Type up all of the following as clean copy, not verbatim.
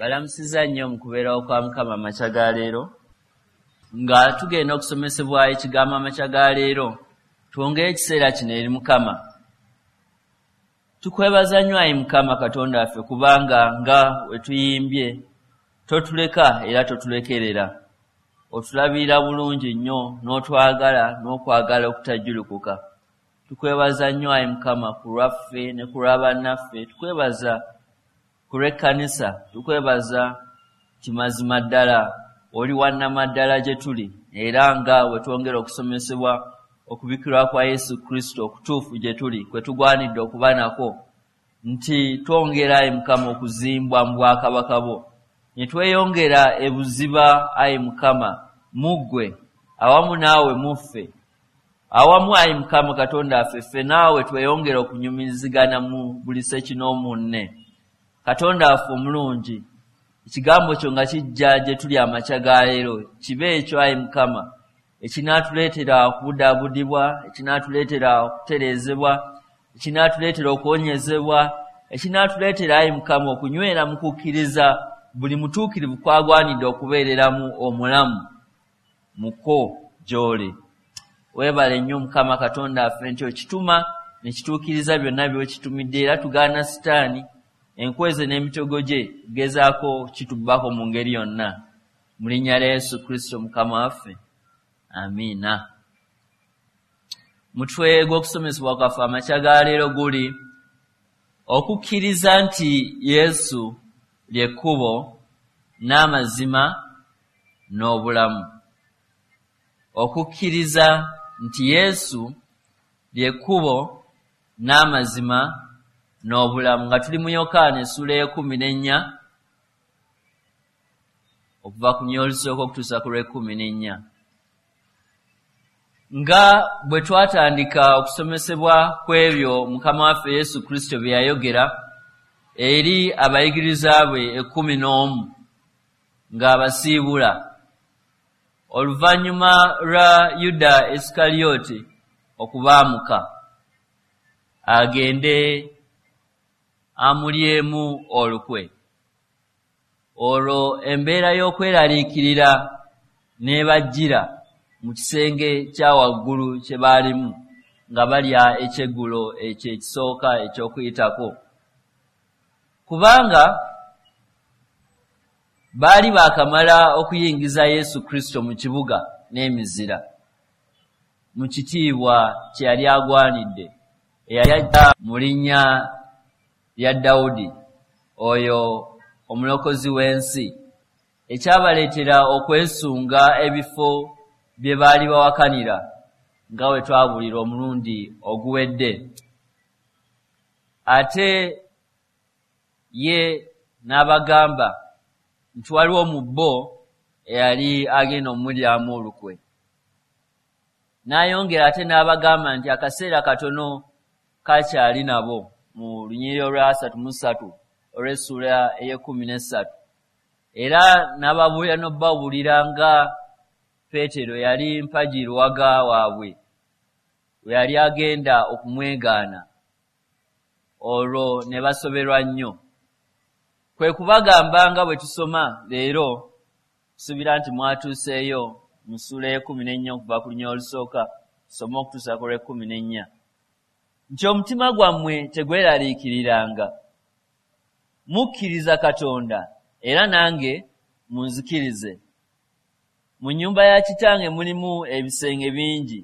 Balamusizza nnyo mu kubeerawo kwa Mukama amakya ga leero. Nga tugenda okusomesebwa ekigambo amakya ga leero, twongere ekiseera kino eri Mukama. Tukwebaza nnyo ayi Mukama Katonda waffe, kubanga nga we tuyimbye totuleka era totulekerera. Otulabirira bulungi nnyo n'otwagala n'okwagala okutajjulukuka. Tukwebaza nnyo ayi Mukama ku lwaffe ne ku lwa bannaffe. Tukwebaza ku lw'ekkanisa. Tukwebaza nti mazima ddala oli wa nnamaddala gye tuli, era nga bwe twongera okusomesebwa okubikkulwa kwa Yesu Kristo okutuufu gye tuli, kwe tugwanidde okuba nakwo, nti twongera ayi Mukama okuzimbwa mu bwakabaka bwo, ne tweyongera ebuziba ayi Mukama mu ggwe, awamu naawe mu ffe. Awamu ayi Mukama Katonda waffe, ffe naawe tweyongere okunyumirizigana mu buli ssekinoomu nne. Katonda waffe omulungi, ekigambo kyo nga kijja gye tuli amakya ga leero, kibe ekyo ayi Mukama ekinaatuleetera okubudaabudibwa, ekinaatuleetera okutereezebwa, ekinaatuleetera okuwonyezebwa, ekinaatuleetera ayi Mukama okunywera mu kukkiriza buli mutuukirivu kw'agwanidde okubeereramu omulamu mu kwo gy'oli. Weebale nnyo Mukama Katonda waffe nti okituma ne kituukiriza byonna by'okitumidde, era tugaana Sitaani enkweze n'emitego gye gezaako kitubbako mu ngeri yonna. Mu linnya lya Yesu Kristo Mukama waffe, amiina. Mutwe gw'okusomesebwa kwaffe amakya ga leero guli okukkiriza nti Yesu lye kkubo n'amazima n'obulamu. Okukkiriza nti Yesu lye kkubo n'amazima n'obulamu. Nga tuli mu Yokaana essuula ey'ekkumi n'ennya, okuva ku lunyiriri olusooka okutuusa ku lw'ekkumi n'ennya. Nga bwe twatandika okusomesebwa ku ebyo Mukama waffe Yesu Kristo bye yayogera eri abayigiriza be 11 ng'abasiibula oluvannyuma lwa Yuda Isikaliyoti okubaamuka agende amulyemu olukwe, olwo embeera y'okweraliikirira n'ebajjira mu kisenge kya waggulu kye baalimu nga balya ekyeggulo ekyo ekisooka eky'Okuyitako, kubanga baali baakamala okuyingiza Yesu Kristo mu kibuga n'emizira mu kitiibwa kye yali agwanidde, eyali ajja mu linnya lya Dawudi, oyo omulokozi w'ensi, ekyabaleetera okwesunga ebifo bye baali bawakanira, nga bwe twabuulira omulundi oguwedde. Ate ye n'abagamba nti waliwo mu bo eyali agenda okumulyamu olukwe. N'ayongera ate n'abagamba nti akaseera katono kakyali nabo, mu lunyiriri olwa 33 olw'essuula ey'ekkumi n'essatu. Era n'ababuulira n'okubabuulira nga Peetero yali mpagi luwaga waabwe we yali agenda okumwegaana, olwo ne basoberwa nnyo. Kwe kubagamba nga bwe tusoma leero, nsuubira nti mwatuuseeyo mu ssuula ey'ekkumi n'ennya okuva ku lunyiriri olusooka tusome okutuusa ku lw'ekkumi n'ennya, nti omutima gwammwe tegweraliikiriranga. Mukkiriza Katonda, era nange munzikirize. Mu nnyumba ya Kitange mulimu ebisenge bingi,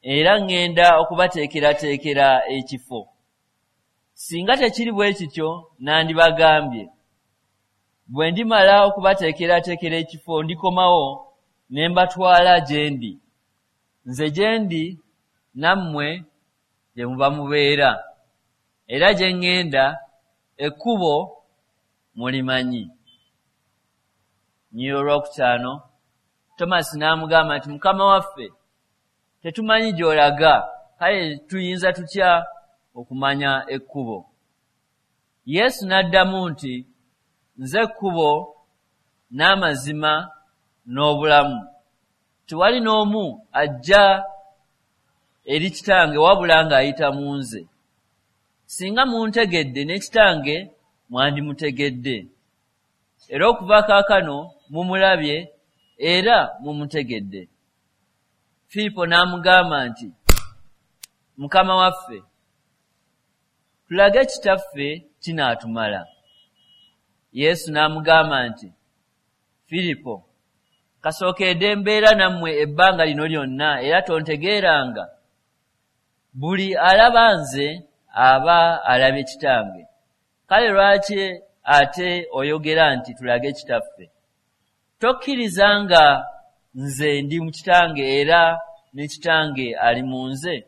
era ŋŋenda okubateekerateekera ekifo. Singa tekiri bwe kityo nandibagambye. Bwe ndimala okubateekerateekera ekifo ndikomawo ne mbatwala gye ndi, nze gye ndi nammwe gye muba mubeera. Era gye ŋŋenda ekkubo mulimanyi. Lunyiriri olwokutaano, Tomasi n'amugamba nti, Mukama waffe, tetumanyi gy'olaga, kale tuyinza tutya okumanya ekkubo? Yesu n'addamu nti, Nze kkubo n'amazima n'obulamu. Tewali n'omu ajja eri Kitange wabula ng'ayita mu nze. Singa muntegedde, ne Kitange mwandimutegedde. Era okuva kaakano mumulabye era mumutegedde. Firipo n'amugamba nti, Mukama waffe, tulage Kitaffe kinaatumala. Yesu n'amugamba nti, Firipo, kasookedde mbeera nammwe ebbanga lino lyonna era tontegeeranga? Buli alaba nze aba alabye Kitange. Kale lwaki ate oyogera nti tulage Kitaffe? Tokkiriza nga nze ndi mu Kitange era ne Kitange ali mu nze?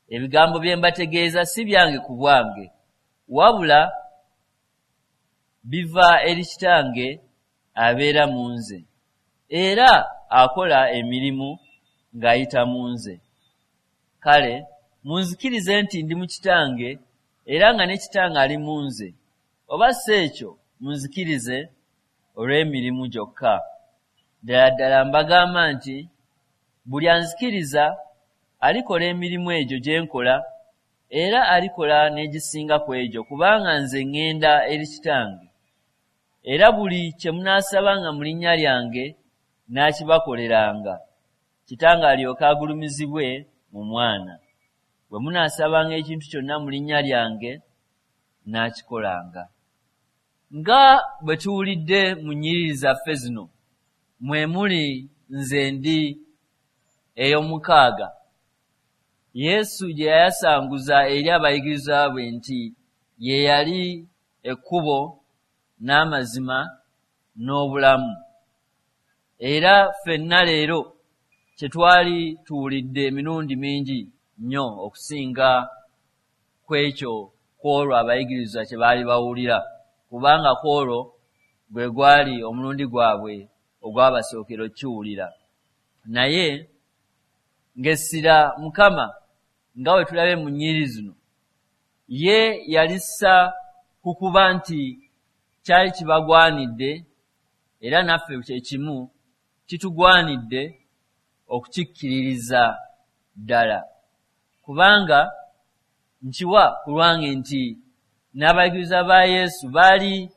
Ebigambo bye mbategeeza si byange ku bwange, wabula biva eri Kitange abeera mu nze, era akola emirimu ng'ayita mu nze. Kale munzikirize nti ndi mu Kitange era nga ne Kitange ali mu nze, oba si ekyo munzikirize olw'emirimu gyokka. Ddala ddala mbagamba nti buli anzikiriza alikola emirimu egyo gye nkola, era alikola n'egisinga ku egyo, kubanga nze ŋŋenda eri Kitange. Era buli kye munaasabanga mu linnya lyange nnaakibakoleranga, Kitange alyoke agulumizibwe mu Mwana. Bwe munaasabanga ekintu kyonna mu linnya lyange, nnaakikolanga. Nga bwe tuwulidde mu nnyiriri zaffe zino, mwe muli nze ndi ey'omukaaga, Yesu gye yayasanguza eri abayigirizwa be nti ye yali ekkubo n'amazima n'obulamu. Era ffenna leero kye twali tuwulidde emirundi mingi nnyo okusinga ku ekyo kw'olwo abayigirizwa kye baali bawulira, kubanga kw'olwo gwe gwali omulundi gwabwe ogwabasookera okukiwulira. Naye ng'essira Mukama, nga bwe tulabye mu nnyiriri zino, ye yalissa ku kuba nti kyali kibagwanidde, era naffe kye kimu kitugwanidde okukikkiririza ddala. Kubanga nkiwa ku lwange nti n'abayigirizwa ba Yesu baali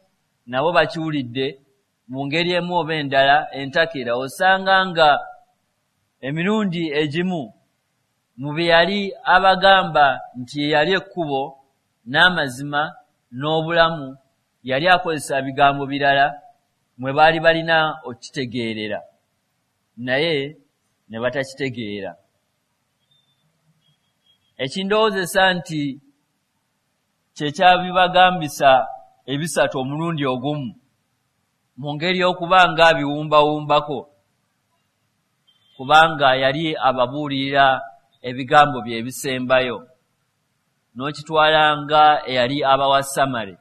nabo bakiwulidde mu ngeri emu oba endala entakera, osanga nga emirundi egimu mu bye yali abagamba nti ye yali ekkubo n'amazima n'obulamu yali akozesa bigambo birala mwe baali balina okukitegeerera, naye ne batakitegeera. Ekindowoozesa nti kye kyabibagambisa ebisatu omulundi ogumu mu ngeri y'okuba nga abiwumbawumbako, kubanga yali ababuulirira ebigambo bye ebisembayo, n'okitwala nga eyali abawa samale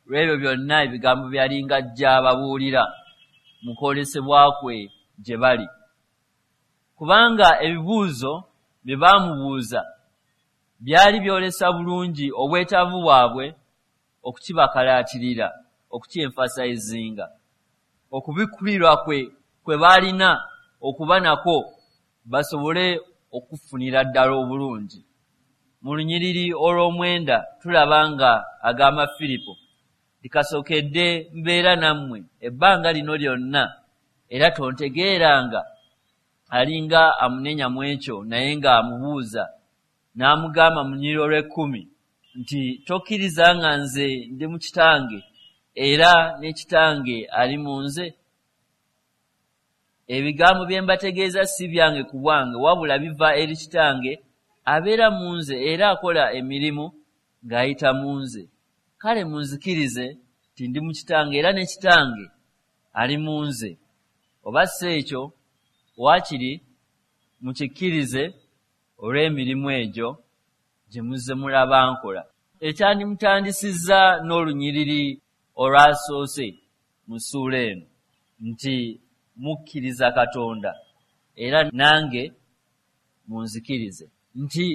lw'ebyo byonna ebigambo bye yali ng'ajja ababuulira mu kwolesebwa kwe gye bali. Kubanga ebibuuzo bye baamubuuza byali byolesa bulungi obwetaavu bwabwe okukibakalaatirira, okukyemfasayizinga, okubikkulirwa kwe kwe baalina okuba nakwo basobole okufunira ddala obulungi. Mu lunyiriri olw'omwenda tulaba nga agamba Firipo nti kasookedde mbeera nammwe ebbanga lino lyonna era tontegeeranga? Alinga amunenya mu ekyo naye ng'amubuuza n'amugamba mu lunyiriri olw'ekkumi nti tokkiriza nga nze ndi mu Kitange era ne Kitange ali mu nze? Ebigambo bye mbategeeza si byange ku bwange, wabula biva eri Kitange abeera mu nze era akola emirimu ng'ayita mu nze. Kale munzikirize nti ndi mu Kitange era ne Kitange ali mu nze. Oba si ekyo, waakiri mukikkirize olw'emirimu egyo gye muzze mulaba nkola. Ekyandimutandisizza n'olunyiriri olwasoose mu ssuula eno nti mukkiriza Katonda era nange munzikirize. Nti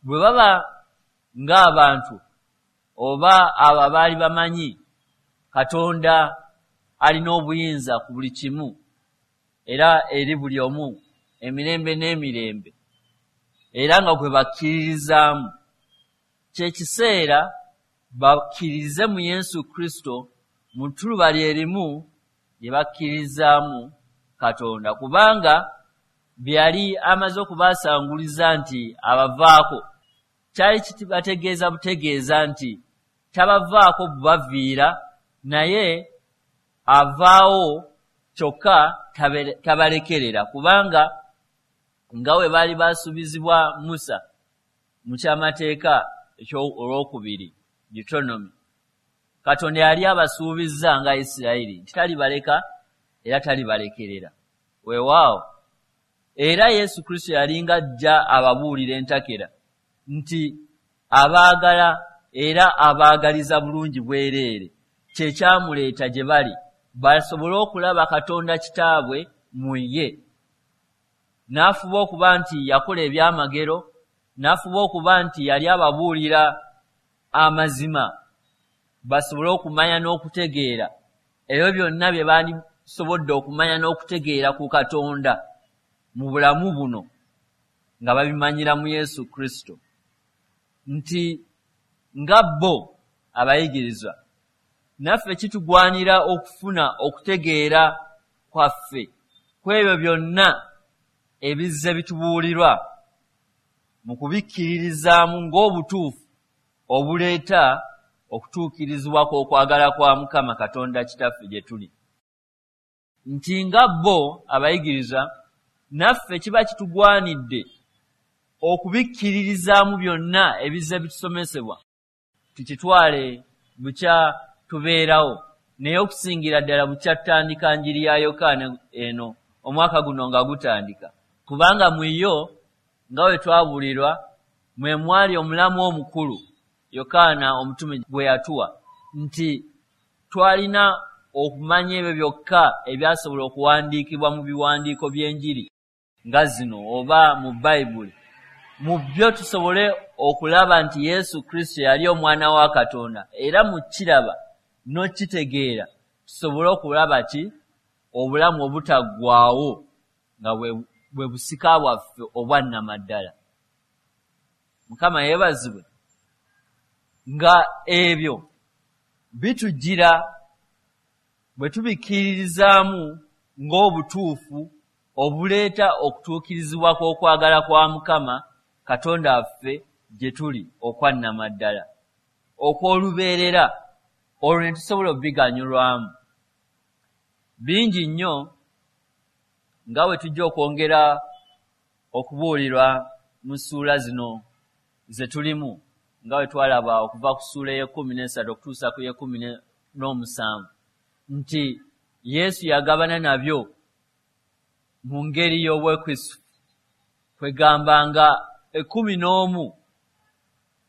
bwe baba ng'abantu oba abo abaali bamanyi Katonda alina obuyinza ku buli kimu era eri buli omu emirembe n'emirembe era nga gwe bakkiririzaamu, kye kiseera bakkiririze mu Yesu Kristo Mu ttuluba lye limu lye bakkirizaamu Katonda, kubanga bye yali amaze okubaasanguliza nti abavaako, kyali kibategeeza butegeeza nti tabavaako bubaviira, naye avaawo kyokka tabalekerera, kubanga nga bwe baali baasuubizibwa Musa mu kyamateeka olwokubiri, Deuteronomy, Katonda yali abasuubizza nga Isirayiri nti talibaleka era talibalekerera. Weewaawo, era Yesu Kristo yalinga ajja ababuulira entakera nti abaagala era abaagaliza bulungi bwereere, kye kyamuleeta gye bali basobole okulaba Katonda Kitaabwe mu ye. N'afuba okuba nti yakola ebyamagero, n'afuba okuba nti yali ababuulira amazima basobole okumanya n'okutegeera ebyo byonna bye bandisobodde okumanya n'okutegeera ku Katonda mu bulamu buno nga babimanyira mu Yesu Kristo. Nti nga bo abayigirizwa, naffe kitugwanira okufuna okutegeera kwaffe ku ebyo byonna ebizze bitubuulirwa mu kubikkiririzaamu ng'obutuufu obuleeta okutuukirizibwa kw'okwagala kwa Mukama Katonda Kitaffe gye tuli. Nti nga bo abayigirizwa, naffe kiba kitugwanidde okubikkiririzaamu byonna ebizze bitusomesebwa, tukitwale bukya tubeerawo, naye okusingira ddala bukya tutandika njiri ya Yokaana eno omwaka guno nga gutandika, kubanga mu yo nga bwe twabuulirwa mwe mwali omulamu omukulu Yokaana omutume gwe yatuwa, nti twalina okumanya ebyo byokka ebyasobola okuwandiikibwa mu biwandiiko by'enjiri nga zino oba mu Bayibuli, mu byo tusobole okulaba nti Yesu Kristo yali Omwana wa Katonda, era mu kiraba n'okitegeera tusobole okulaba ki obulamu obutaggwaawo nga bwe busika bwaffe obwa nnamaddala. Mukama yeebazibwe. Nga ebyo bitujjira bwe tubikkiririzaamu ng'obutuufu obuleeta okutuukirizibwa kw'okwagala kwa Mukama Katonda waffe gye tuli okwa nnamaddala, okw'olubeerera, olwo ne tusobola okubiganyulwamu. Bingi nnyo nga bwe tujja okwongera okubuulirwa mu ssuula zino ze tulimu, nga bwe twalaba okuva ku ssuula ey'ekkumi n'esatu okutuusa ku y'ekkumi n'omusanvu, nti Yesu yagabana nabyo mu ngeri y'obwekrisifu, kwegamba nga 11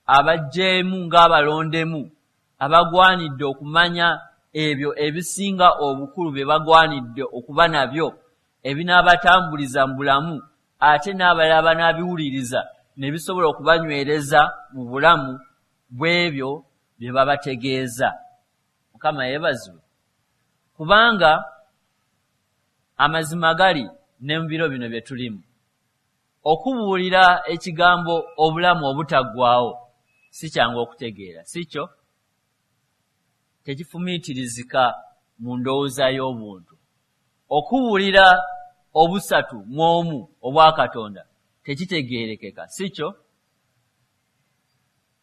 abaggyeemu ng'abalondemu abagwanidde okumanya ebyo ebisinga obukulu bye bagwanidde okuba nabyo ebinaabatambuliza mu bulamu, ate n'abalala banaabiwuliriza ne bisobola okubanywereza mu bulamu bw'ebyo bye babategeeza. Mukama yeebazibwe, kubanga amazima gali ne mu biro bino bye tulimu, okubuulira ekigambo obulamu obutaggwaawo si kyangu okutegeera, si kyo? Tekifumiitirizika mu ndowooza y'obuntu. Okubuulira obusatu mu omu obwa Katonda tekitegeerekeka, si kyo?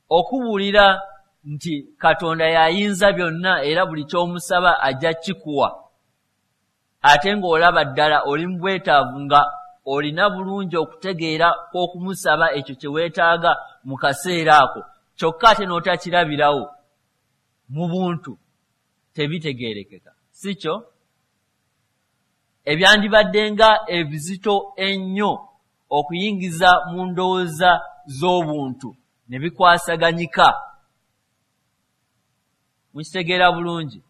Okubuulira nti Katonda y'ayinza byonna era buli ky'omusaba ajja kikuwa, ate ng'olaba ddala oli mu bwetaavu nga olina bulungi okutegeera kw'okumusaba ekyo kye weetaaga mu kaseera ako, kyokka ate n'otakirabirawo mu buntu, tebitegeerekeka, si kyo? Ebyandibadde nga ebizito ennyo okuyingiza mu ndowooza z'obuntu ne bikwasaganyika, mukitegeera bulungi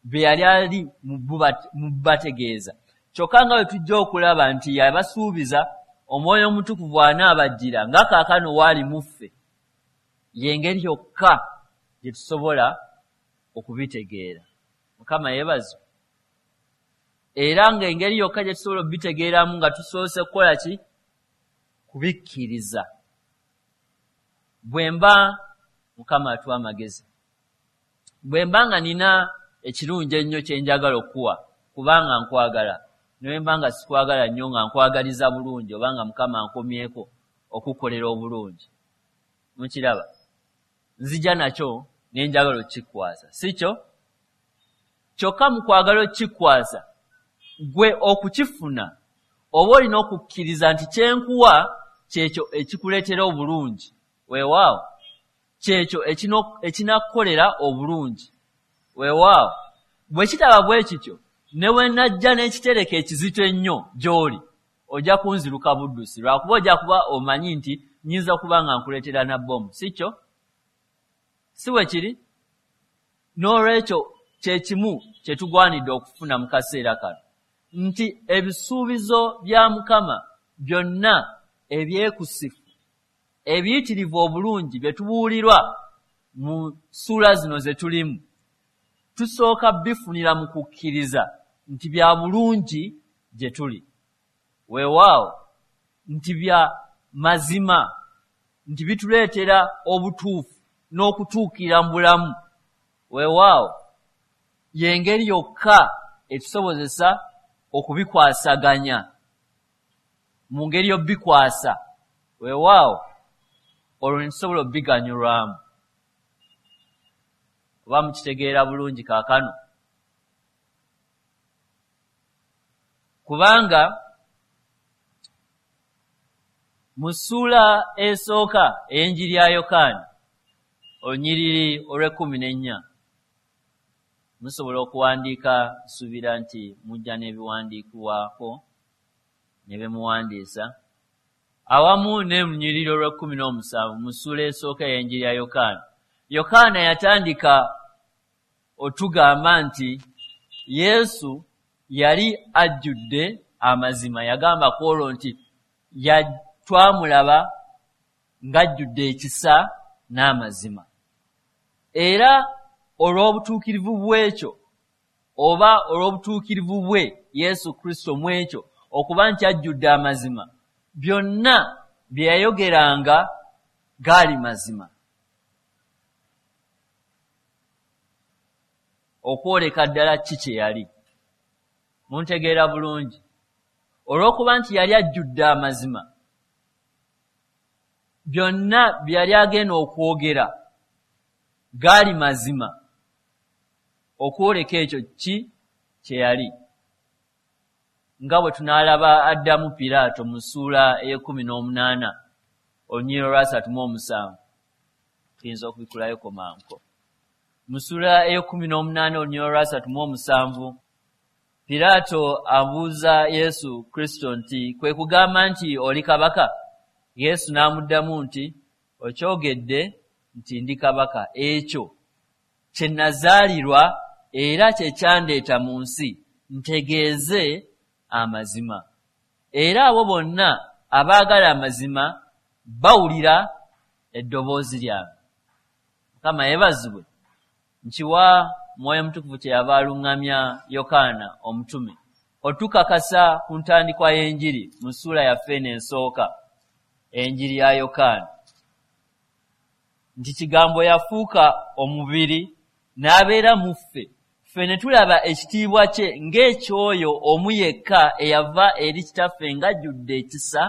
bye yali ali mu bategeeza. Kyokka nga bwe tujja okulaba nti yabasuubiza Omwoyo Omutukuvu anaabajjira nga kaakano waali mu ffe, y'engeri yokka gye tusobola okubitegeera. Mukama yeebazibwe. Era ng'engeri yokka gye tusobola okubitegeeramu nga tusoose kukola ki? Kubikkiriza. Bwe mba, Mukama atuwa amagezi, bwe mba nga nina ekirungi ennyo kye njagala okukuwa kubanga nkwagala, ne bwe mba nga sikwagala nnyo nga nkwagaliza bulungi oba nga Mukama ankomyeko okukukolera obulungi. Mukiraba? Nzija nakyo ne njagala okukikwasa, si kyo? Kyokka mu kwagala okukikwasa, ggwe okukifuna oba olina okukkiriza nti kye nkuwa kyekyo ekikuleetera obulungi. Weewaawo, kyekyo ekinakukolera obulungi. Weewaawo, bwe kitaba bwe kityo, ne bwe najja n'ekitereke ekizito ennyo gy'oli, ojja kunziruka buddusi, lwakuba ojja kuba omanyi nti nnyinza okuba nga nkuleetera na bbomu, si kyo? Si bwe kiri? N'olwekyo kye kimu kye tugwanidde okufuna mu kaseera kano, nti ebisuubizo bya Mukama byonna ebyekusifu, ebiyitirivu obulungi bye tubuulirwa mu ssuula zino ze tulimu, tusooka bifunira mu kukkiriza nti bya bulungi gye tuli. Weewaawo, nti bya mazima, nti bituleetera obutuufu n'okutuukirira mu bulamu. Weewaawo, y'engeri yokka etusobozesa okubikwasaganya mu ngeri y'obikwasa. Weewaawo, olwo ne tusobola obiganyulwamu. Oba mukitegeera bulungi kaakano? Kubanga mu ssuula esooka ey'enjiri ya Yokaana, olunyiriri olw'ekkumi n'ennya, musobola okuwandiika, nsuubira nti mujja n'ebiwandiikibwako ne bye muwandiisa, awamu ne lunyiriri olw'ekkumi n'omusanvu mu ssuula esooka ey'enjiri ya Yokaana. Yokaana yatandika otugamba nti Yesu yali ajjudde amazima. Yagamba ku olwo nti twamulaba ng'ajjudde ekisa n'amazima. Era olw'obutuukirivu bw'ekyo, oba olw'obutuukirivu bwe Yesu Kristo mu ekyo, okuba nti ajjudde amazima, byonna bye yayogeranga gaali mazima. Okwoleka ddala ki kye yali. Muntegeera bulungi? Olw'okuba nti yali ajjudde amazima, byonna bye yali agenda okwogera gaali mazima, okwoleka ekyo ki kye yali. Nga bwe tunaalaba addamu Piraato mu ssuula ey'ekkumi n'omunaana olunyiriri olwasatu mu omusanvu. Tuyinza okubikulayoko mangu. Mu ssuula ey'ekkumi n'omunaana olunyiriri olwasatu mu omusanvu, Piraato abuuza Yesu Kristo nti, kwe kugamba nti oli kabaka? Yesu n'amuddamu nti, okyogedde nti ndi kabaka. Ekyo kye nazaalirwa era kye kyandeeta mu nsi, ntegeeze amazima. Era abo bonna abaagala amazima bawulira eddoboozi lyange. Mukama yeebazibwe. Nkiwa Mwoyo Mutukuvu kye yava aluŋŋamya Yokaana omutume otukakasa ku ntandikwa y'enjiri mu ssuula yaffe eno esooka, enjiri ya Yokaana, nti Kigambo yafuuka omubiri n'abeera mu ffe, ffe ne tulaba ekitiibwa kye ng'eky'oyo omu yekka eyava eri Kitaffe ng'ajjudde ekisa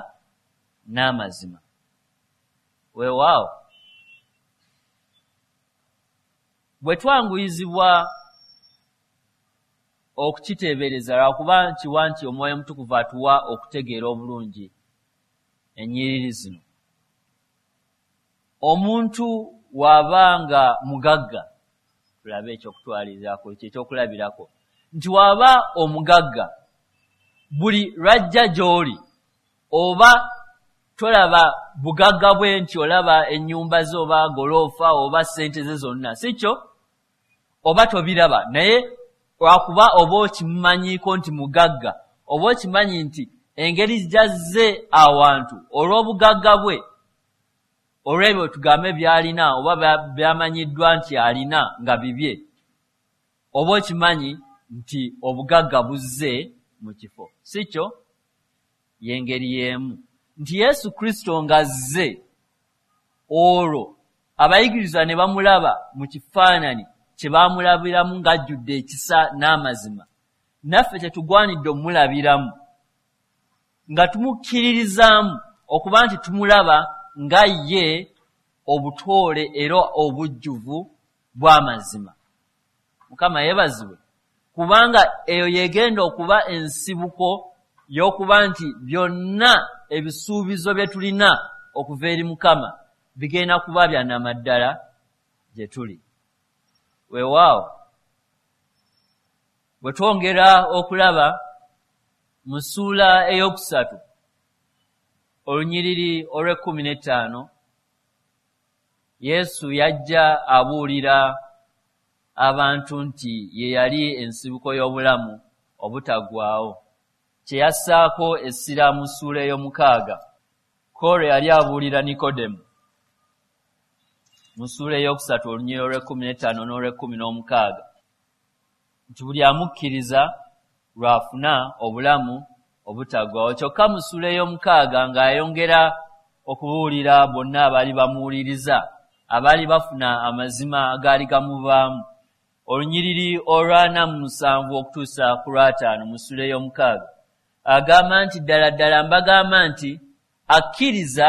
n'amazima. Weewaawo, bwe twanguyizibwa okukiteebereza, lwakuba nkiwa nti Omwoyo Omutukuvu atuwa okutegeera obulungi ennyiriri zino. Omuntu w'aba nga mugagga, tulabe ekyokutwalizaako ekyo ekyokulabirako, nti w'aba omugagga, buli lw'ajja gy'oli oba tolaba bugagga bwe nti olaba ennyumba ze oba goloofa oba ssente ze zonna, si kyo? Oba tobiraba, naye lwakuba oba okimumanyiiko nti mugagga, oba okimanyi nti engeri gy'azze awantu olw'obugagga bwe, olw'ebyo tugambe by'alina oba by'amanyiddwa nti alina nga bibye, oba okimanyi nti obugagga buzze mu kifo, si kyo? Y'engeri y'emu nti Yesu Kristo ng'azze, olwo abayigirizwa ne bamulaba mu kifaananyi kye baamulabiramu ng'ajjudde ekisa n'amazima, naffe tetugwanidde omulabiramu nga tumukkiririzaamu okuba nti tumulaba nga ye obutoole era obujjuvu bw'amazima. Mukama yeebazibwe, kubanga eyo yegenda okuba ensibuko y'okuba nti byonna ebisuubizo bye tulina okuva eri Mukama bigenda kuba bya nnamaddala gye tuli. Weewaawo, bwe twongera okulaba mu ssuula 3 olunyiriri olw'e15, Yesu yajja abuulira abantu nti ye yali ensibuko y'obulamu obutaggwaawo, kye yassaako essira mu ssuula 6 Koolo yali abuulira Nikodemu mu ssuula 3 olunyiriri olw'e15 n'olw'e16 nti buli amukkiriza lw'afuna obulamu obutaggwaawo. Kyokka mu ssuula 6 ng'ayongera okubuulira bonna abaali bamuwuliriza, abaali bafuna amazima agaali gamuvaamu, olunyiriri olw'47 okutuusa ku lw'50 mu ssuula 6 agamba nti ddala ddala mbagamba nti akkiriza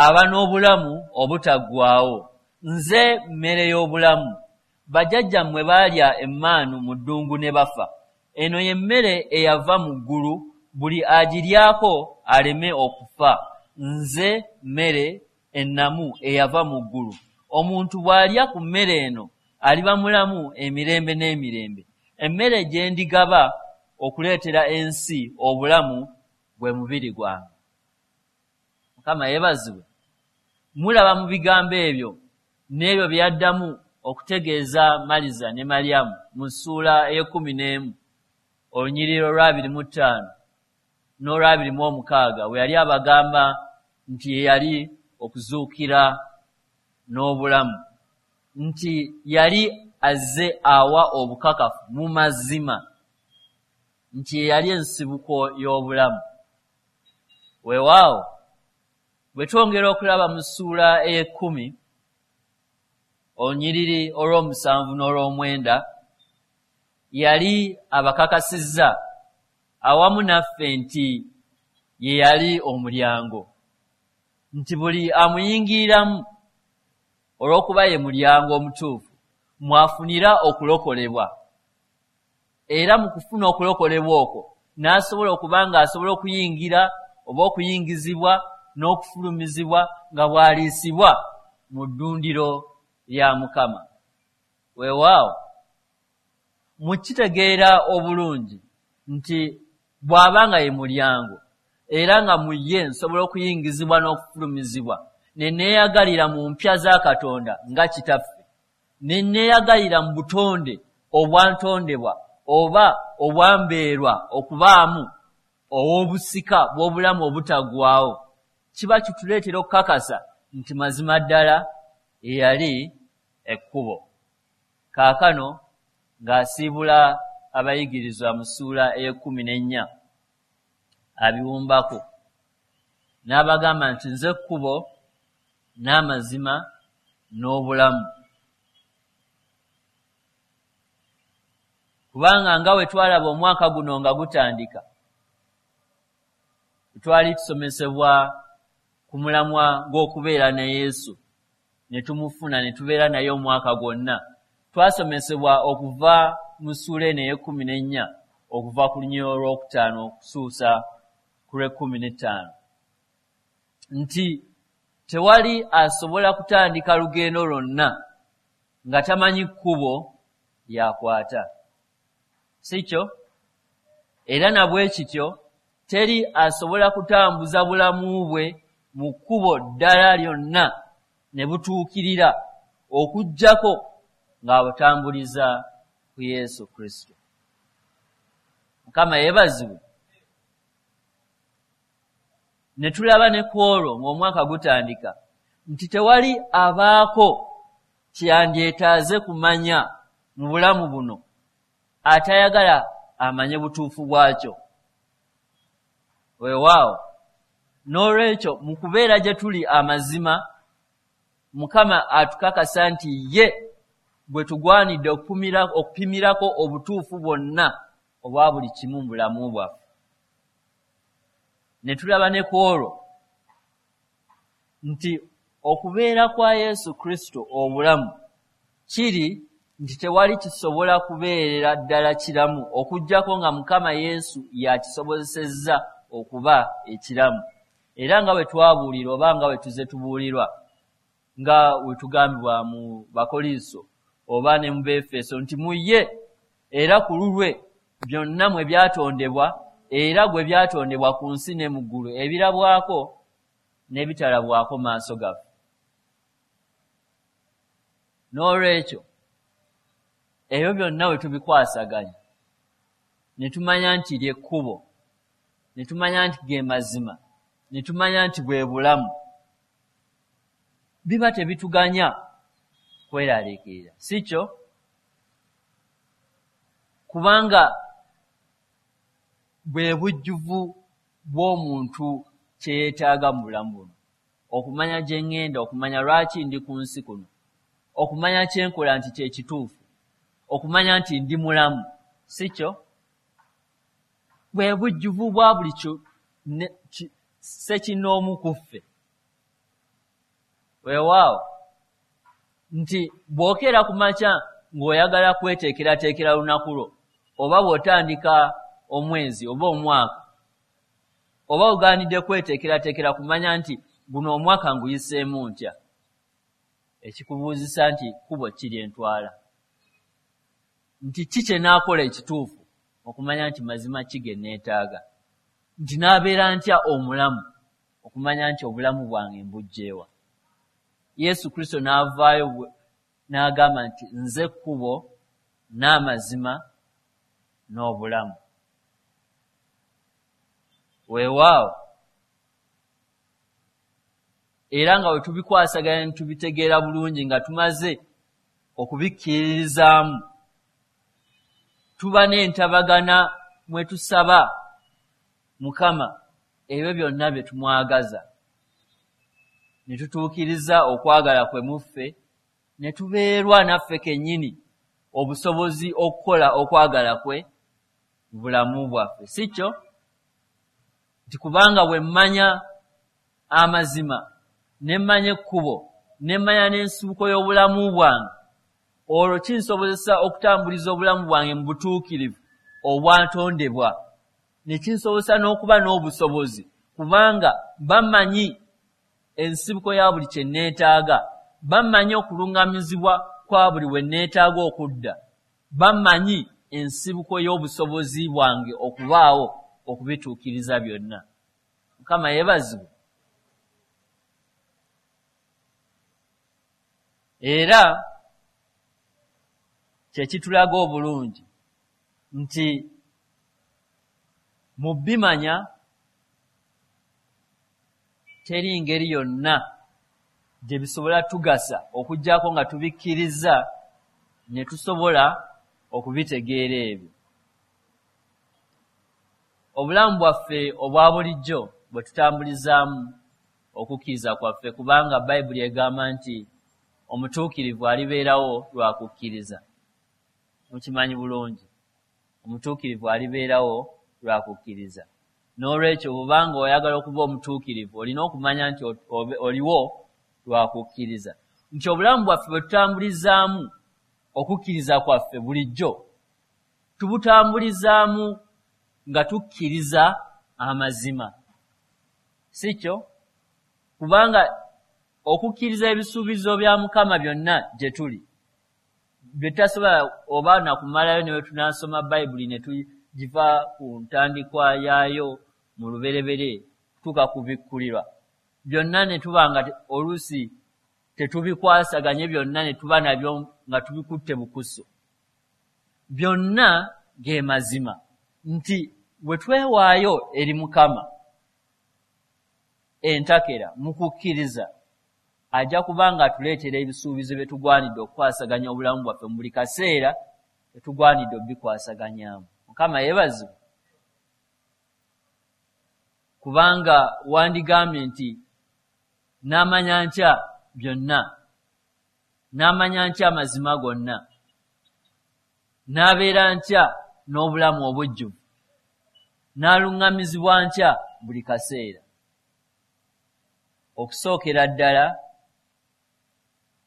aba n'obulamu obutaggwaawo. Nze mmere y'obulamu. Bajjajjammwe baalya emmaanu mu ddungu ne bafa. Eno ye mmere eyava mu ggulu, buli agiryako aleme okufa. Nze mmere ennamu eyava mu ggulu. Omuntu bw'alya ku mmere eno aliba mulamu emirembe n'emirembe. Emmere gye ndigaba okuleetera ensi obulamu gwe mubiri gwange. Mukama yeebazibwe. Mulaba mu bigambo ebyo n'ebyo bye yaddamu okutegeeza Maliza ne Malyamu mu ssuula 11 olunyiriri olw'25 n'olw'26, we yali abagamba nti ye yali okuzuukira n'obulamu, nti yali azze awa obukakafu mu mazima nti ye yali ensibuko y'obulamu. Weewaawo, bwe twongera okulaba mu ssuula 10 olunyiriri olw'omusanvu n'olw'omwenda, yali abakakasizza awamu naffe nti ye yali omulyango, nti buli amuyingiriramu olw'okuba ye mulyango omutuufu mwafunira okulokolebwa, era mu kufuna okulokolebwa okwo n'asobola okuba ng'asobola okuyingira oba okuyingizibwa n'okufulumizibwa nga bw'aliisibwa mu ddundiro lya Mukama. Weewaawo, mukitegeera obulungi nti bw'aba nga ye mulyango era nga mu ye nsobola okuyingizibwa n'okufulumizibwa ne neeyagalira mu mpya za Katonda nga Kitaffe, ne neeyagalira mu butonde obwantondebwa oba obwambeerwa okubaamu ow'obusika bw'obulamu obutaggwaawo, kiba kituleetera okukakasa nti mazima ddala eyali ekkubo. Kaakano ng'asiibula abayigirizwa mu ssuula 14 abiwumbako n'abagamba nti nze kkubo n'amazima n'obulamu. Kubanga nga we twalaba omwaka guno nga gutandika, twali tusomesebwa ku mulamwa gw'okubeera ne Yesu, ne tumufuna ne tubeera naye omwaka gwonna. Twasomesebwa okuva mu ssuula eno 14 okuva ku lunyiriri olwokutaano okutuusa ku lw'e15 nti tewali asobola kutandika lugendo lwonna nga tamanyi kkubo lyakwata, si kyo? Era na bwe kityo teri asobola kutambuza bulamu bwe mu kkubo ddala lyonna ne butuukirira okuggyako ng'abutambuliza ku Yesu Kristo. Mukama yeebazibwe. Ne tulaba ne ku olwo ng'omwaka gutandika nti tewali abaako kyeyandyetaaze kumanya mu bulamu buno atayagala amanye butuufu bwakyo. Weewaawo, n'olwekyo mu kubeera gye tuli amazima, Mukama atukakasa nti ye bwe tugwanidde okupimirako obutuufu bwonna obwa buli kimu mu bulamu bwaffe. Ne tulaba ne ku olwo nti okubeera kwa Yesu Kristo obulamu kiri nti tewali kisobola kubeerera ddala kiramu okuggyako nga Mukama Yesu y'akisobozesezza okuba ekiramu. Era nga bwe twabuulirwa oba nga bwe tuzze tubuulirwa, nga bwe tugambibwa mu Bakkolinso oba ne mu Beefeso nti mu ye era ku lulwe byonna mwe byatondebwa, era gwe byatondebwa ku nsi ne mu ggulu, ebirabwako n'ebitalabwako maaso gaffe. N'olwekyo ebyo byonna bwe tubikwasaganya ne tumanya nti ly'ekkubo, ne tumanya nti ge mazima, ne tumanya nti bwe bulamu, biba tebituganya kweraliikirira, si kyo? Kubanga bwe bujjuvu bw'omuntu kye yeetaaga mu bulamu buno, okumanya gye ŋŋenda, okumanya lwaki ndi ku nsi kuno, okumanya kye nkola nti kye kituufu, okumanya nti ndi mulamu, si kyo? Bwe bujjuvu bwa buli ssekinnoomu ku ffe. Weewaawo nti bw'okeera ku makya ng'oyagala kweteekerateekera lunaku lwo, oba bw'otandika omwezi oba omwaka, oba ogaanidde kweteekerateekera kumanya nti guno omwaka nguyiseemu ntya, ekikubuuzisa nti kkubo ki lye ntwala, nti ki kye naakola ekituufu okumanya nti mazima ki ge neetaaga, nti naabeera ntya omulamu okumanya nti obulamu bwange mbuggye wa. Yesu Kristo n'avaayo n'agamba nti nze kkubo n'amazima n'obulamu. Weewaawo era nga bwe tubikwasaganya ne tubitegeera bulungi nga tumaze okubikkiririzaamu, tuba n'entabagana mwe tusaba Mukama ebyo byonna bye tumwagaza, ne tutuukiriza okwagala kwe mu ffe, ne tubeerwa naffe kennyini obusobozi okukola okwagala kwe mu bulamu bwaffe, si kyo? Nti kubanga bwe mmanya amazima, ne mmanya ekkubo, ne mmanya n'ensibuko y'obulamu bwange, olwo kinsobozesa okutambuliza obulamu bwange mu butuukirivu obwatondebwa, ne kinsobozesa n'okuba n'obusobozi, kubanga bamanyi ensibuko ya buli kye neetaaga, bamanyi okuluŋŋamizibwa kwa buli we neetaaga okudda, bamanyi ensibuko y'obusobozi bwange okubaawo okubituukiriza byonna. Mukama yeebazibwe. Era kye kitulaga obulungi nti mu bimanya teri ngeri yonna gye bisobola tugasa okuggyako nga tubikkiriza ne tusobola okubitegeera ebyo. Obulamu bwaffe obwa bulijjo bwe tutambulizaamu okukkiriza kwaffe, kubanga Bayibuli egamba nti omutuukirivu alibeerawo lwa kukkiriza. Mukimanyi bulungi, omutuukirivu alibeerawo lwa kukkiriza. N'olwekyo bw'obanga oyagala okuba omutuukirivu, olina okumanya nti oliwo lwa kukkiriza, nti obulamu bwaffe bwe tutambulizaamu okukkiriza kwaffe bulijjo tubutambulizaamu nga tukkiriza amazima, si kyo? Kubanga okukkiriza ebisuubizo bya Mukama byonna gye tuli bye tutasobola oba nakumalayo ne bwe tunaasoma Bayibuli ne tugiva ku ntandikwa yaayo mu lubereberye kutuuka ku bikkulirwa byonna, ne tuba nga oluusi tetubikwasaganye byonna ne tuba nabyo nga tubikutte bukusu. Byonna ge mazima nti bwe twewaayo eri Mukama entakera mu kukkiriza, ajja kuba nga atuleetera ebisuubizo bye tugwanidde okukwasaganya obulamu bwaffe mu buli kaseera tetugwanidde obikwasaganyaamu. Mukama yeebazibwe. Kubanga wandigambye nti naamanya ntya byonna N'amanya ntya amazima gonna? N'abeera ntya n'obulamu obujjuvu? N'aluŋŋamizibwa ntya buli kaseera? Okusookera ddala,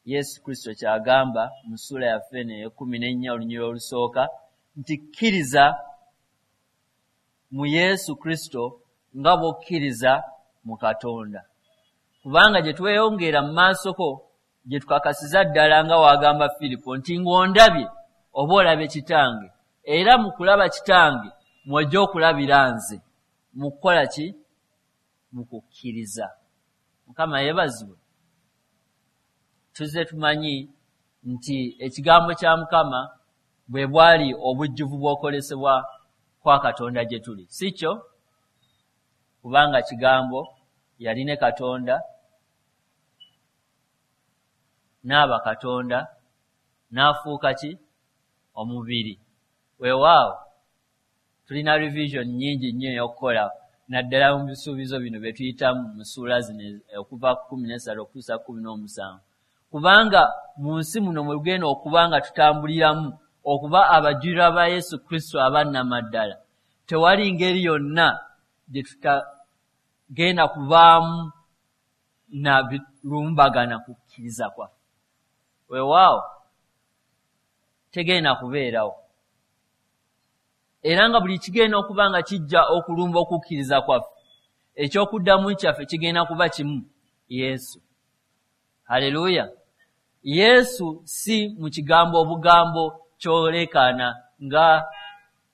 Yesu Kristo ky'agamba mu ssuula yaffe eno ey'ekkumi n'ennya, olunyiriri olusooka, nti kkiriza mu Yesu Kristo nga bw'okkiriza mu Katonda. Kubanga gye tweyongera mu maasoko, gye tukakasiza ddala nga w'agamba Firipo nti ng'ondabye oba olabye Kitange, era mu kulaba Kitange mw'ojja okulabira nze. Mu kukola ki? Mu kukkiriza. Mukama yeebazibwe. Tuzze tumanyi nti ekigambo kya Mukama bwe bwali obujjuvu bw'okwolesebwa kwa Katonda gye tuli, si kyo? Kubanga Kigambo yali ne Katonda, n'aba Katonda, n'afuuka ki? Omubiri. Weewaawo tulina revision nnyingi nnyo ey'okukola, naddala mu bisuubizo bino bye tuyitamu mu ssuula zino okuva ku 13 okutuusa ku 17, kubanga mu nsi muno mwe tugenda okuba nga tutambuliramu okuba abajulirwa ba Yesu Kristo abannamaddala, tewali ngeri yonna gye tutagenda kubaamu na birumbagana kukkiriza kwaffe. Weewaawo tegenda kubeerawo, era nga buli kigenda okuba nga kijja okulumba okukkiriza kwaffe, ekyokuddamu kyaffe kigenda kuba kimu: Yesu. Haleluya! Yesu si mu kigambo obugambo kyolekaana nga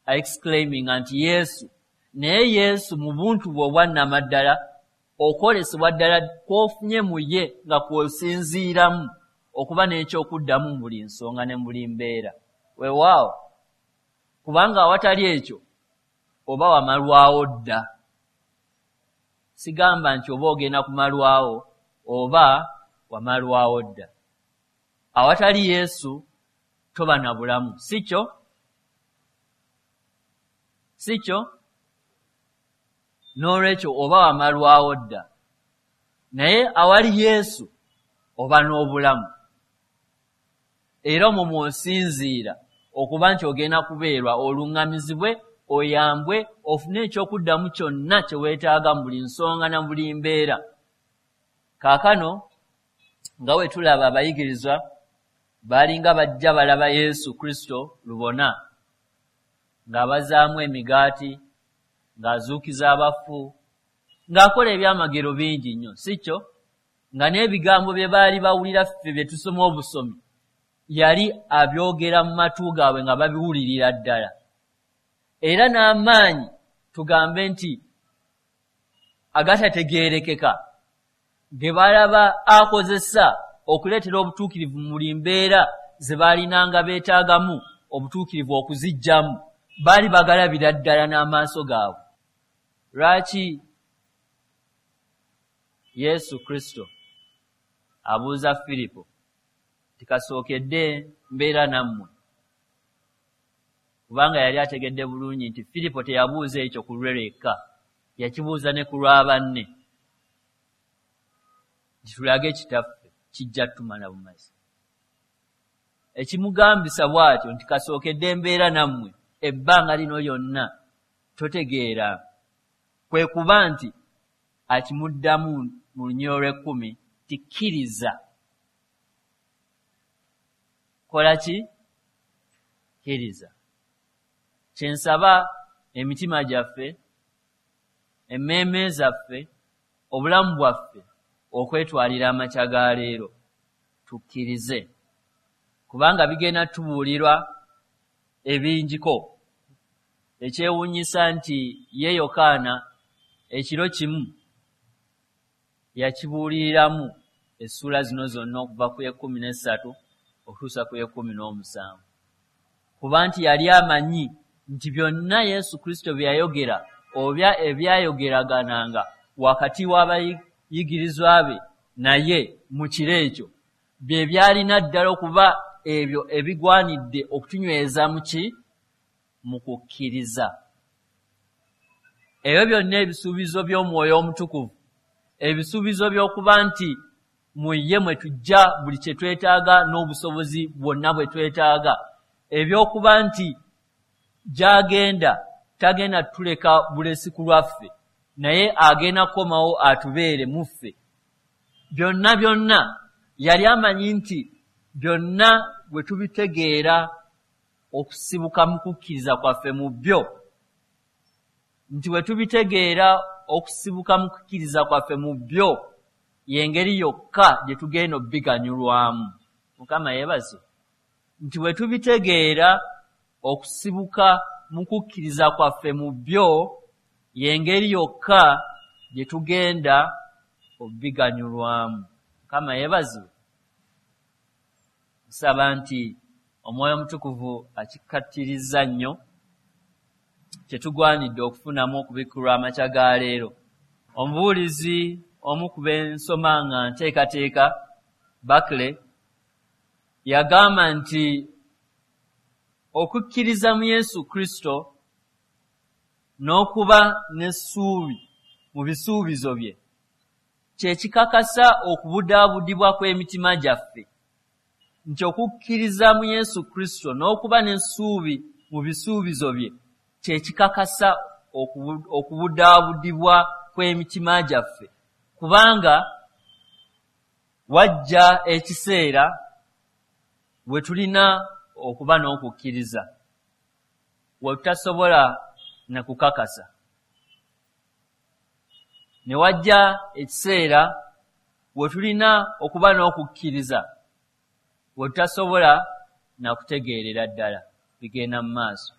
exclaiming nti Yesu, naye Yesu mu buntu bwe obwannamaddala, okwolesebwa ddala kw'ofunye mu ye nga kw'osinziiramu okuba n'ekyokuddamu mu buli nsonga ne mu buli mbeera. Weewaawo, kubanga awatali ekyo oba wamalwawo dda. Sigamba nti oba ogenda kumalwawo, oba wamalwawo dda. Awatali Yesu toba na bulamu, si kyo? Si kyo? N'olwekyo oba wamalwawo dda, naye awali Yesu oba n'obulamu, era omwo mw'osinziira okuba nti ogenda kubeerwa, oluŋŋamizibwe, oyambwe, ofune ekyokuddamu kyonna kye weetaaga mu buli nsonga na buli mbeera. Kaakano nga bwe tulaba, abayigirizwa baalinga bajja balaba Yesu Kristo lubona ng'abazaamu emigaati, ng'azuukiza abafu, ng'akola ebyamagero bingi nnyo, si kyo? Nga n'ebigambo bye baali bawulira ffe bye tusoma obusomi, yali abyogera mu matu gaabwe nga babiwulirira ddala. Era n'amaanyi, tugambe nti agatategeerekeka, ge balaba akozesa okuleetera obutuukirivu mu buli mbeera ze baalinanga beetaagamu obutuukirivu okuziggyamu, baali bagalabira ddala n'amaaso gaabwe. Lwaki Yesu Kristo abuuza Firipo nti kasookedde mbeera nammwe? Kubanga yali ategedde bulungi nti Firipo teyabuuza ekyo ku lwe lwekka, yakibuuza ne ku lwa banne, nti tulage Kitaffe, kijja tumala bumazi. Ekimugambisa bw'atyo nti kasookedde mbeera nammwe ebbanga lino lyonna totegeera, kwe kuba nti akimuddamu mu lunyiriri olw'ekkumi nti kkiriza. Kola ki? Kkiriza. Kye nsaba emitima gyaffe, emmeeme zaffe, obulamu bwaffe okwetwalira amakya ga leero, tukkirize, kubanga bigenda tubuulirwa ebingiko. Ekyewuunyisa nti ye Yokaana ekiro kimu yakibuuliriramu essuula zino zonna okuva ku y'ekkumi n'essatu okutuusa ku y'ekkumi n'omusanvu, kuba nti yali amanyi nti byonna Yesu Kristo bye yayogera oba ebyayogeragananga wakati w'abayigirizwa be naye mu kiro ekyo, bye byalina ddala okuba ebyo ebigwanidde okutunyweza mu ki? Mu kukkiriza. Ebyo byonna ebisuubizo by'Omwoyo Omutukuvu, ebisuubizo by'okuba nti mu ye mwe tujja buli kye twetaaga n'obusobozi bwonna bwe twetaaga, ebyokuba nti gy'agenda tagenda tuleka bulesi ku lwaffe, naye agenda kukomawo atubeere mu ffe. Byonna byonna yali amanyi nti byonna bwe tubitegeera okusibuka mu kukkiriza kwaffe mu byo, nti bwe tubitegeera okusibuka mu kukkiriza kwaffe mu byo y'engeri yokka gye tugenda obbiganyulwamu. Mukama yeebaze nti bwe tubitegeera okusibuka mu kukkiriza kwaffe mu byo y'engeri yokka gye tugenda obbiganyulwamu. Mukama yeebaze. Nsaba nti Omwoyo Omutukuvu akikkaatirizza nnyo kye tugwanidde okufunamu okubikkulwa amakya ga leero. Omubuulizi omu ku b'ensoma nga nteekateeka, Barclay, yagamba nti okukkiriza mu Yesu Kristo n'okuba n'essuubi mu bisuubizo bye kye kikakasa okubudaabudibwa kw'emitima gyaffe. Nti okukkiriza mu Yesu Kristo n'okuba n'essuubi mu bisuubizo bye kye kikakasa okubudaabudibwa kw'emitima gyaffe, kubanga wajja ekiseera we tulina okuba n'okukkiriza we tutasobola na kukakasa, ne wajja ekiseera we tulina okuba n'okukkiriza we tutasobola na kutegeerera ddala bigenda mu maaso.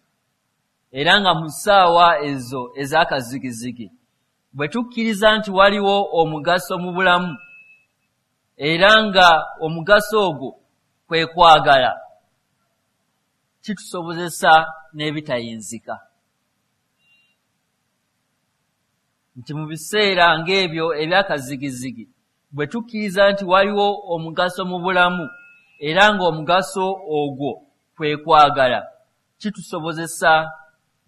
Era nga mu ssaawa ezo ez'akazigizigi bwe tukkiriza nti waliwo omugaso mu bulamu, era nga omugaso ogwo kwe kwagala, kitusobozesa n'ebitayinzika. Nti mu biseera ng'ebyo eby'akazigizigi bwe tukkiriza nti waliwo omugaso mu bulamu, era ng'omugaso ogwo kwe kwagala, kitusobozesa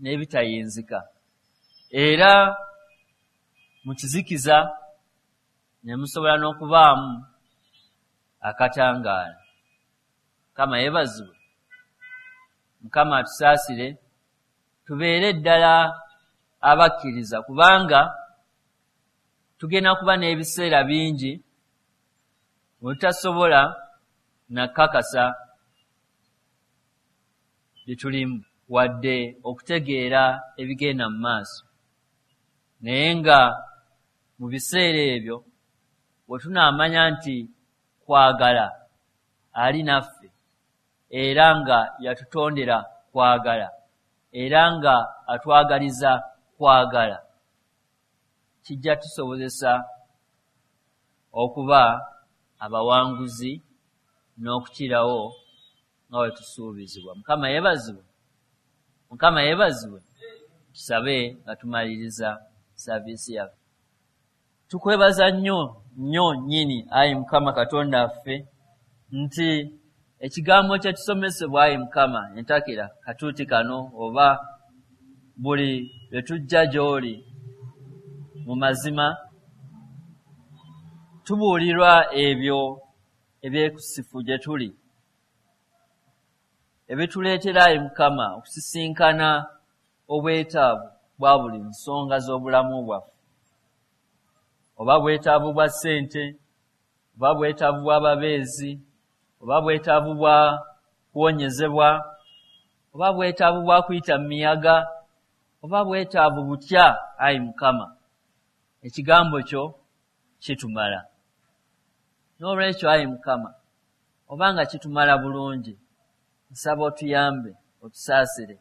n'ebitayinzika. Era mu kizikiza ne musobola n'okubaamu akatangaala. Mukama yeebazibwe. Mukama atusaasire tubeere ddala abakkiriza, kubanga tugenda kuba n'ebiseera bingi we tutasobola nakakasa bye tulimu wadde okutegeera ebigenda mu maaso. Naye nga mu biseera ebyo bwe tunaamanya nti kwagala ali naffe, era nga yatutondera kwagala, era nga atwagaliza kwagala, kijja tusobozesa okuba abawanguzi n'okukirawo nga bwe tusuubizibwa. Mukama yeebazibwe. Mukama yeebazibwe. Tusabe nga tumaliriza saaviisi yaffe. Tukwebaza nnyo nnyo nnyini, ayi Mukama Katonda waffe, nti ekigambo kye tusomesebwa, ayi Mukama, entakera katuuti kano oba buli lwe tujja gy'oli mu mazima tubuulirwa ebyo ebyekusifu gye tuli, ebituleetera, ayi Mukama, okusisinkana obwetaavu bwa buli nsonga z'obulamu bwaffe, oba bwetaavu bwa ssente, oba bwetaavu bw'ababeezi, oba bwetaavu bwa kuwonyezebwa, oba bwetaavu bwa kuyita mu miyaga, oba bwetaavu butya, ayi Mukama, ekigambo kyo kitumala. N'olwekyo, ayi Mukama, obanga kitumala bulungi, nsaba otuyambe, otusaasire,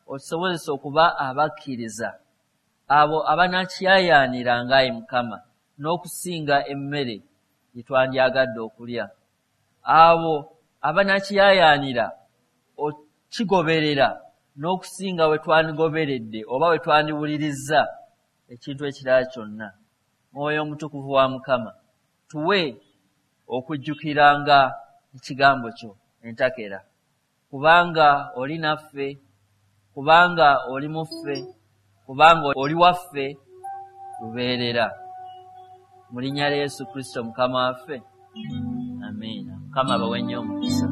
otusobozese okuba abakkiriza abo abanakyayaaniranga, ayi Mukama, n'okusinga emmere gye twandyagadde okulya, abo abanakyayaanira okigoberera n'okusinga we twandigoberedde oba we twandiwulirizza ekintu ekirala kyonna. Mwoyo Omutukuvu wa Mukama, tuwe okujjukiranga ekigambo kyo entakera, kubanga oli naffe, kubanga oli mu ffe, kubanga oli waffe lubeerera. Mu linnya lya Yesu Kristo Mukama waffe, amiina. Mukama abawe nnyo omukisa.